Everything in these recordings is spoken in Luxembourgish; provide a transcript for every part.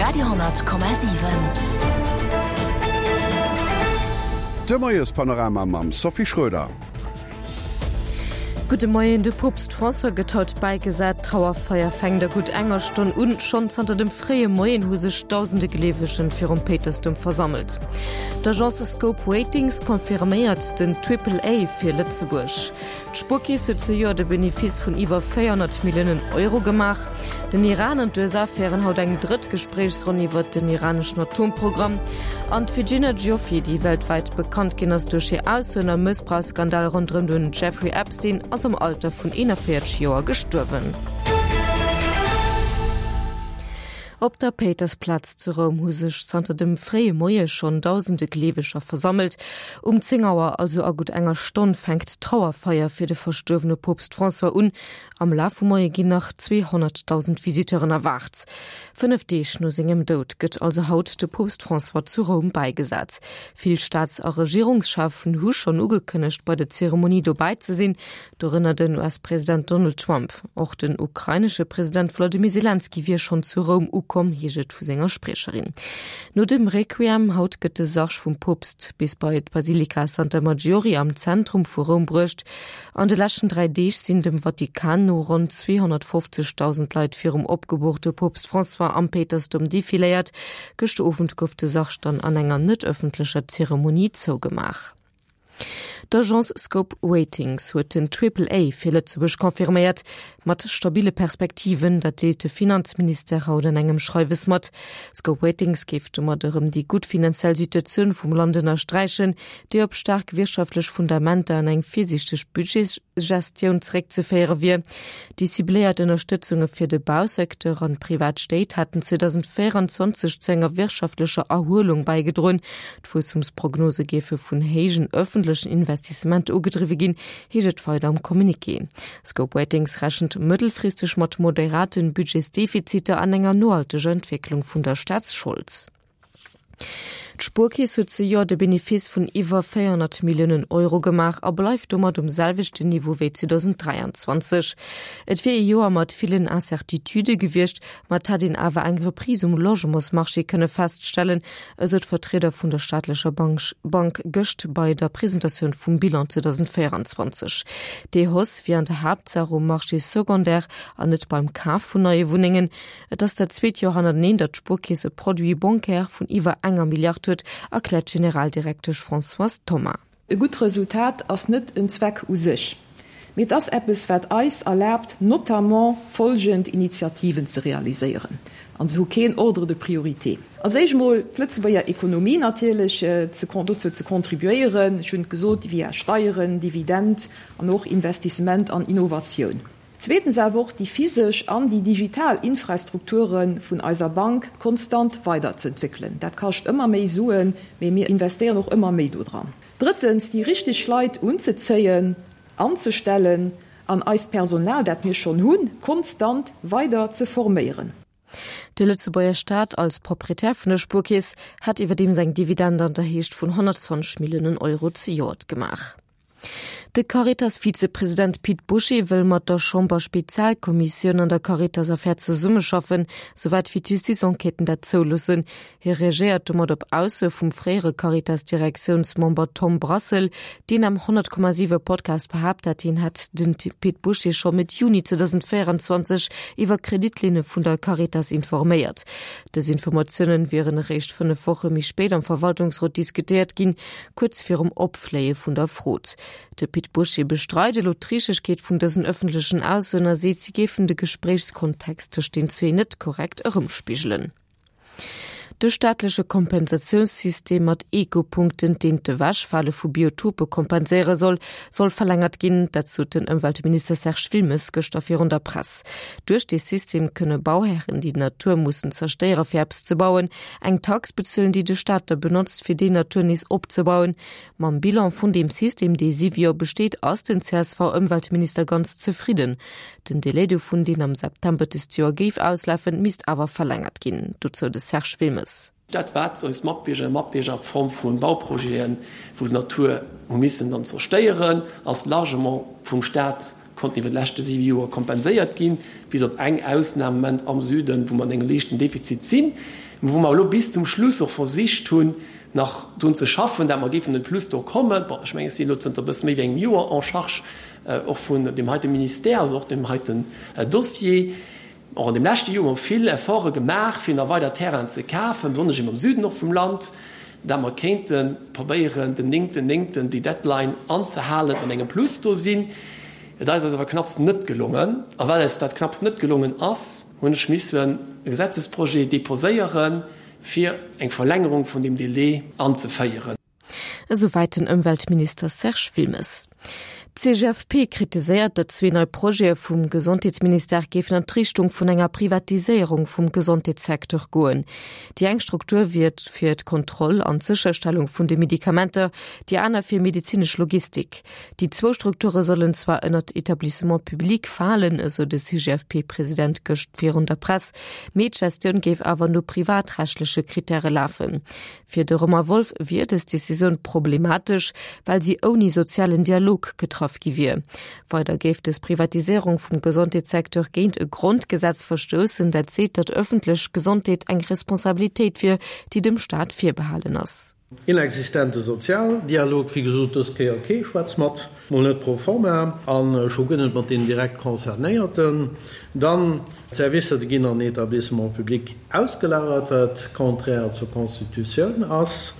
Radio,7. De Moiespanorama mam Sophie Schröder. Gudde Moien, De Poopst François gëtt haut bäigesat. D'Trauerfeier fänkt a gutt enger Stonn un. Schonn zanter dem fréie Moien hu sech dausende Gleewegen virum Péitersdoum versammelt. D'Agence Scope Ratings confirméiert den Triple A fir Lëtzebuerg. D'Spuerkeess huet zejoert e Benefice vun iwwer 400 Milliounen Euro gemaach. Den Iran an d'USA féieren haut eng drëtt Gespréichsronn iwwert den iraneschen Atomprogramm. An d'Virginia Giuffre, déi weltwäit bekannt ginn ass duerch hir Aussoen am Mëssbrauchsskandal ronderëm den Jeffrey Epstein, ass am Alter vun 41 Joer gestuerwen. Op der Péitersplaz zu Roum hu sech zanter dem fréie Moie schonn dausende Gleeweger versammelt. Um 10 Auer, also a gutt enger Stonn, fänkt d'Trauerfeier fir de verstuerwene Poopst François un. Am Laf vum Moie ginn nach 200.000 Visiteuren erwaart. 5 Deeg no sengem Doud gëtt also haut de Poopst François zu Roum bäigesat. Vill Staats a Regierungscheffen hu schonn ugekënnegt, bei der Zeremonie dobäi ze sinn. Dorënner den US-President Donald Trump. Och den ukrainesche President Wolodymyr Selenskyj wier schonn zu Roum ukomm, heescht et vu senger Spriecherin. No dem Requiem haut gëtt de Sarg vum Poopst bis bei d'Basilika Santa Maggiore am Zentrum vu Roum bruecht. An de leschten 3 Deeg sinn dem Vatikan no ronn 250.000 Leit virum opgeboorte Poopst François am Péitersdoum defiléiert. Gëschter Owend gouf de Sarg dann an enger net ëffentlecher Zeremonie zougemaach. D'Agence Scope Ratings huet den Triple A fir Lëtzebuerg confirméiert, mat stabille Perspektiven. Dat deelt de Finanzministère haut an engem Schreiwes mat. Scope Ratings géif domat erëm déi gutt finanziell Situatioun vum Land ënnersträichen, déi op staark wirtschaftlech Fundamenter an eng virsiichteg Budgetsgestioun zeréckzeféiere wier. Déi cibléiert Ënnerstëtzunge fir de Bausecteur an d'privat Stéit haten 2024 zu enger wirtschaftlecher Erhuelung bäigedroen. D'Wuesstumsprognose géife vun héijen ëffentlechen Investissementer ugedriwwe ginn, heescht et weider am Communiqué. Scope Ratings rechent mëttelfristeg mat moderate Budgetsdefiziter an enger nohalteger Entwécklung vun der Staatsschold. D'Spuerkeess huet zejoert e Benefice vun iwwer 400 Milliounen Euro gemaach a bleift domat um selwechten Niveau wéi 2023. Et wier ee Joer mat villen Incertitudë gewiescht, ma et hätt een awer eng Reprise um Logementsmarché kënne feststellen, esou d'Vertrieder vun der staatlecher Bank gëscht bei der Presentatioun vum Bilan 2024. Déi Hausse wier an der Haaptsaach um Marché secondaire an net beim Kaf vun neie Wunnengen. Et ass dat zweet Joer hannerteneen, datt d'Spuerkeess e Produit bancaire vun iwwer enger Milliard huet, erkläert d'Generaldirektesch Françoise Thoma. E gutt Resultat ass net en Zweck u sech, mee et ass eppes, wat eis erlaabt, notamment folgend Initiativen ze realiséieren, an se hu keen Ordre de priorité. Als éischt emol d'Lëtzebuerger Ekonomie natierlech dozou ze contribuéieren, ech hunn et gesot, via Steieren, Dividend an och Investissement an Innovatioun. Zweetens awer och déi physesch an déi digital Infrastrukture vun eiser Bank konstant weiderzeentwéckelen. Dat kascht ëmmer méi Suen, mee mir investéieren och ëmmer méi dodran. Drëttens, déi richteg Leit unzezéien, anzestellen an eist Personal, dat mir schonn hunn, konstant weider ze forméieren. De Lëtzebuerger Staat als Proprietär vun der Spuerkeess hat iwwerdeems eng Dividend an der Héicht vun 120 Milliounen Euro zejoert gemaach. De Caritas-Vizepresident Pit Bouché wëll mat der Chamber-Spezialkommissioun an der Caritas-Affär zesummeschaffen, souwäit wéi d'Justiz-Enquêten dat zouloossen. Hie reagéiert domat op Aussoe vum fréiere Caritas-Direktiounsmember Tom Brassel, deen am 100,7 Podcast behaapt hat, hien hätt den Pit Bouché scho Mëtt Juni 2024 iwwer Kreditlinne vun der Caritas informéiert. Dës Informatiounen wieren eréischt 5 Woche méi spéit am Verwaltungsrot diskutéiert ginn, kuerz virum Opfléie vun der Frot. De Pit Bouché bestreit elo d'Richtegkeet vun dësen ëffentlechen Aussoen a seet, si géifen de Gespréichskontext tëscht den zwee net korrekt erëmspigelen. De staatleche Kompensatiounssystem mat Eco-Punkten, deen d'Ewechfale vu Biotope kompenséiere soll, soll verlängert ginn. Dat sot den Ëmweltminister Serge Wilmes gëschter virun der Press. Duerch dee System kënne Bauhären, déi d'Natur mussen zerstéiere fir eppes ze bauen, eng Tax bezuelen, déi de Staat da benotzt, fir déi Natur nees opzebauen. Mam Bilan vun deem System, dee siwe Joer besteet, ass den CSV-Ëmweltminister ganz zefridden. Den Delai dovun, deen am September dëst Joer géif auslafen, misst awer verlängert ginn. Dozou de Serge Wilmes. Dat wat eis Matbiergerinnen a Matbierger a Form vu Bauprojeten, wou se Natur hu missen dann zerstéieren, ass largement vum Staat konnten iwwer d'leschte siwe Joer kompenséiert ginn, bis op eng Ausnam am Moment am Süden, wou mer an engem liichten Defizit sinn. Wou mer elo bis zum Schluss och versicht hunn, nach drun ze schaffen, dat mer géifen en Plus do kommen. Bon, ech mengen, ech sinn elo zënter e bësse méi wéi engem Joer en charge och vun deem heite Ministère, also och deem heiten Dossier. Och an deem leschte Joer hu mer vill Efforte gemaach, fir nach weider Terrainen ze kafen, besonnesch eben am Süden och vum Land, dat mer kéinte probéieren, den néngten néngten déi Deadline anzehalen, mat engem Plus do sinn. Et ass eis awer knapps net gelongen. A well eis dat knapps net gelongen ass, hunn ech missen e Gesetzesprojet deposéieren, fir eng Verlängerung vun deem Délai anzeféieren. Esouwäit den Ëmweltminister Serge Wilmes. D'CGFP kritiséiert, datt zwee nei Projete vum Gesondheetsministère géifen an d'Richtung vun enger Privatiséierung vum Gesondheetssecteur goen. Déi eng Struktur wier fir d'Kontroll an d'Sécherstellung vun de Medikamenter, déi aner fir medezinesch Logistik. Déi zwou Strukture sollen zwar ënnert Etablissement public falen, esou de CGFP-President gëscht virun der Press, mee d'Gestioun géif awer no privatrechtleche Krittäre lafen. Fir de Romain Wolff wier dës Decisioun problematesch, well si ouni sozialen Dialog getraff gi wier. Weider géif dës Privatiséierung vum Gesondheetssecteur géint e Grondgesetz verstoussen, dat seet, datt ëffentlech Gesondheet eng Responsabilitéit wier, déi dem Staat virbehalen ass. Inexistente Sozialdialog, wéi gesot, dës Kéier kee schwätzt mat, mol net pro forma a scho guer net mat deenen direkt Concernéierten. Dann, d'Servicer, déi ginn an Établissements publics ausgelagert, wat contraire zur Constitutioun ass,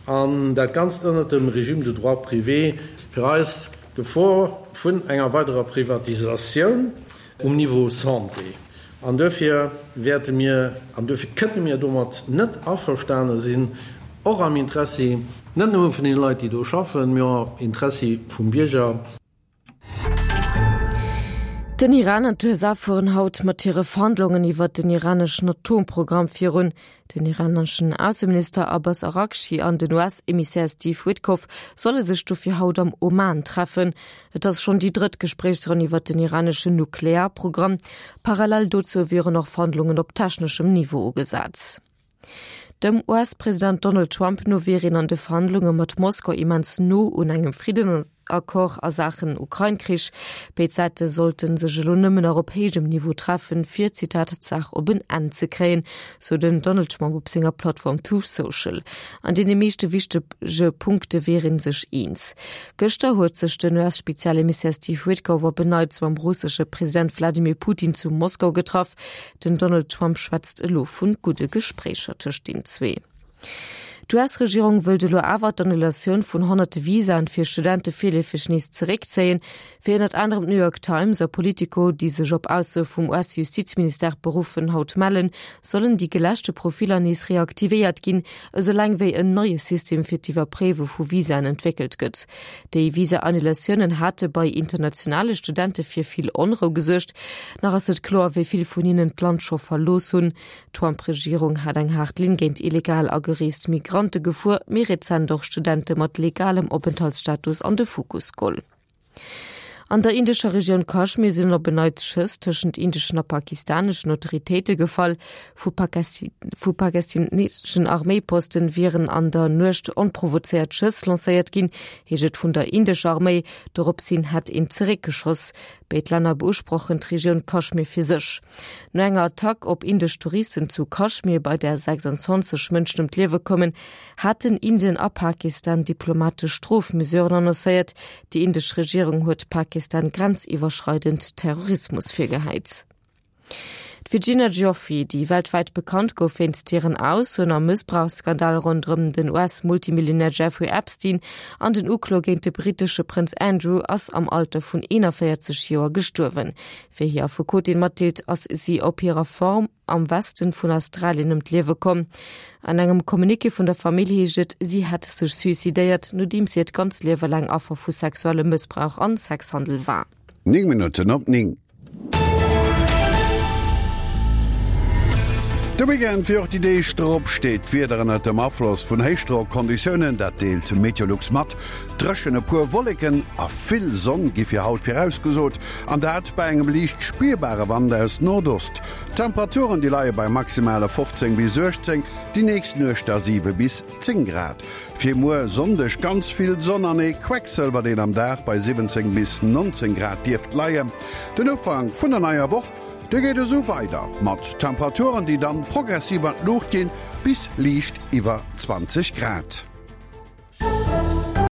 an dat Ganzt ënnert dem Régime de droit privé. Fir eis d'Gefor vun enger weiderer Privatisatioun um Niveau Santé. An duerfir wäerte mir, an duerfir kënne mir domat net averstane sinn, och am Interessi net nëmme vun deene Leit, déi do schaffen, mee och am Interessi vum Bierger. Den Iran an d'USA fueren haut mat hire Verhandlungen iwwert den iraneschen Atomprogramm virun. Den iraneschen Ausseminister Abbas Araghchi an den US-Emissär Steve Witkoff solle sech dofir haut am Oman treffen. Et ass schonn déi drëtt Gespréichsronn iwwer den iraneschen Nuklearprogramm. Parallel dozou wieren och Verhandlungen op techneschem Niveau ugesat. Dem US-President Donald Trump no wier een an de Verhandlunge mat Moskau immens no un engem Friddensaccord a Saachen Ukrain-Krich. Béid Säite sollte sech elo nëmmen nach op héijem Niveau treffen, fir, Zitat, d'Saach op en Enn ze kréien, sou den Donald Trump op senger Plattform Truth Social. An deene meeschte wichtege Punkte wier ee sech eens. Gëschter huet sech den US-Spezialemissär Steve Witkoff op en Neits mam russesche President Wladimir Putin zu Moskau getraff. Den Donald Trump schwätzt elo vu gudde Gespréicher tëscht den zwee. D'US-Regierung wëllt elo awer d'Annulatioun vun honnerte Visaen fir Studente virleefeg nees zeréckzéien. Wéi ënnert anerem d'New York Times a Politico, déi sech op Aussoe vum US-Justizministère beruffen, haut mellen, sollen déi geläschte Profiller nees reaktivéiert ginn, esoulaang wéi en neie System fir d'Iwwerpréiwe vu Visaen entwéckelt gëtt. Déi Visa-Annulatiounen hate bei internationale Studente fir vill Onrou gesuergt. Nach ass net kloer, wéi vill vun hinnen d'Land scho verlooss hunn. D'Trump-Regierung hat eng haart Linn géint illegal agereest Migrante gefuer, méi rezent och Studente mat legalem Openthaltsstatus an de Fokus geholl. An der indescher Regioun Kaschmir sinn op en Neits Schëss tëschent indeschen a pakistaneschen Autoritéite gefall. Vu pakistaneschen Arméiposten wieren an der Nuecht onprovozéiert Schëss lancéiert ginn, heescht et vun der indescher Arméi. Dorops hin hätt een zeréckgeschoss. Béid Länner beusprochen d'Regioun Kaschmir fir sech. No enger Attack op indesch Touristen zu Kaschmir, bei där 26 Mënschen ëm d'Liewe koumen, haten Indien a Pakistan diplomatesch Strofmesuren annoncéiert. Déi indesch Regierung huet Pakistan grenziwwerschreidend Terrorismus virgehäit. D'Virginia Giuffre, déi weltwäit bekannt gouf wéinst hiren Aussoen am Mëssbrauchsskandal ronderëm den US-Multimillionär Jeffrey Epstein an den Uklo géint de brittesche Prënz Andrew, ass am Alter vun 41 Joer gestuerwen. Wéi hir Affekotin matdeelt, ass si op hirer Farm am Westen vun Australien ëm d'Liewe komm. An engem Communiqué vun der Famill heescht et, si hätt sech suicidéiert, nodeems si hiert ganz Liewe laang Affer vu sexuellem Mëssbrauch an Sexhandel war. 9 Minutten op 9. De Weekend wéi och déi Deeg drop steet d'Wieder ënnert dem Afloss vun Héichdrockonditiounen, dat deelt Meteolux mat. Dréchen, e puer Wolleken a vill Sonn gi fir haut virausgesot, an dat bei engem liicht spierbare Wand aus Nordost. D'Temperaturen, déi leie bei maximale 15 bis 18, déi nächst Nuecht da 7 bis 10 Grad. Fir muer Sonndeg ganz vill Sonn an ee Quecksëlwer, deen am Dag bei 17 bis 19 Grad dierft leien. Den Ufank vun der neier Woch. Dee geet esou weider, mat Temperaturen, déi dann progressiv an d'Luucht ginn, bis liicht iwwer 20 Grad.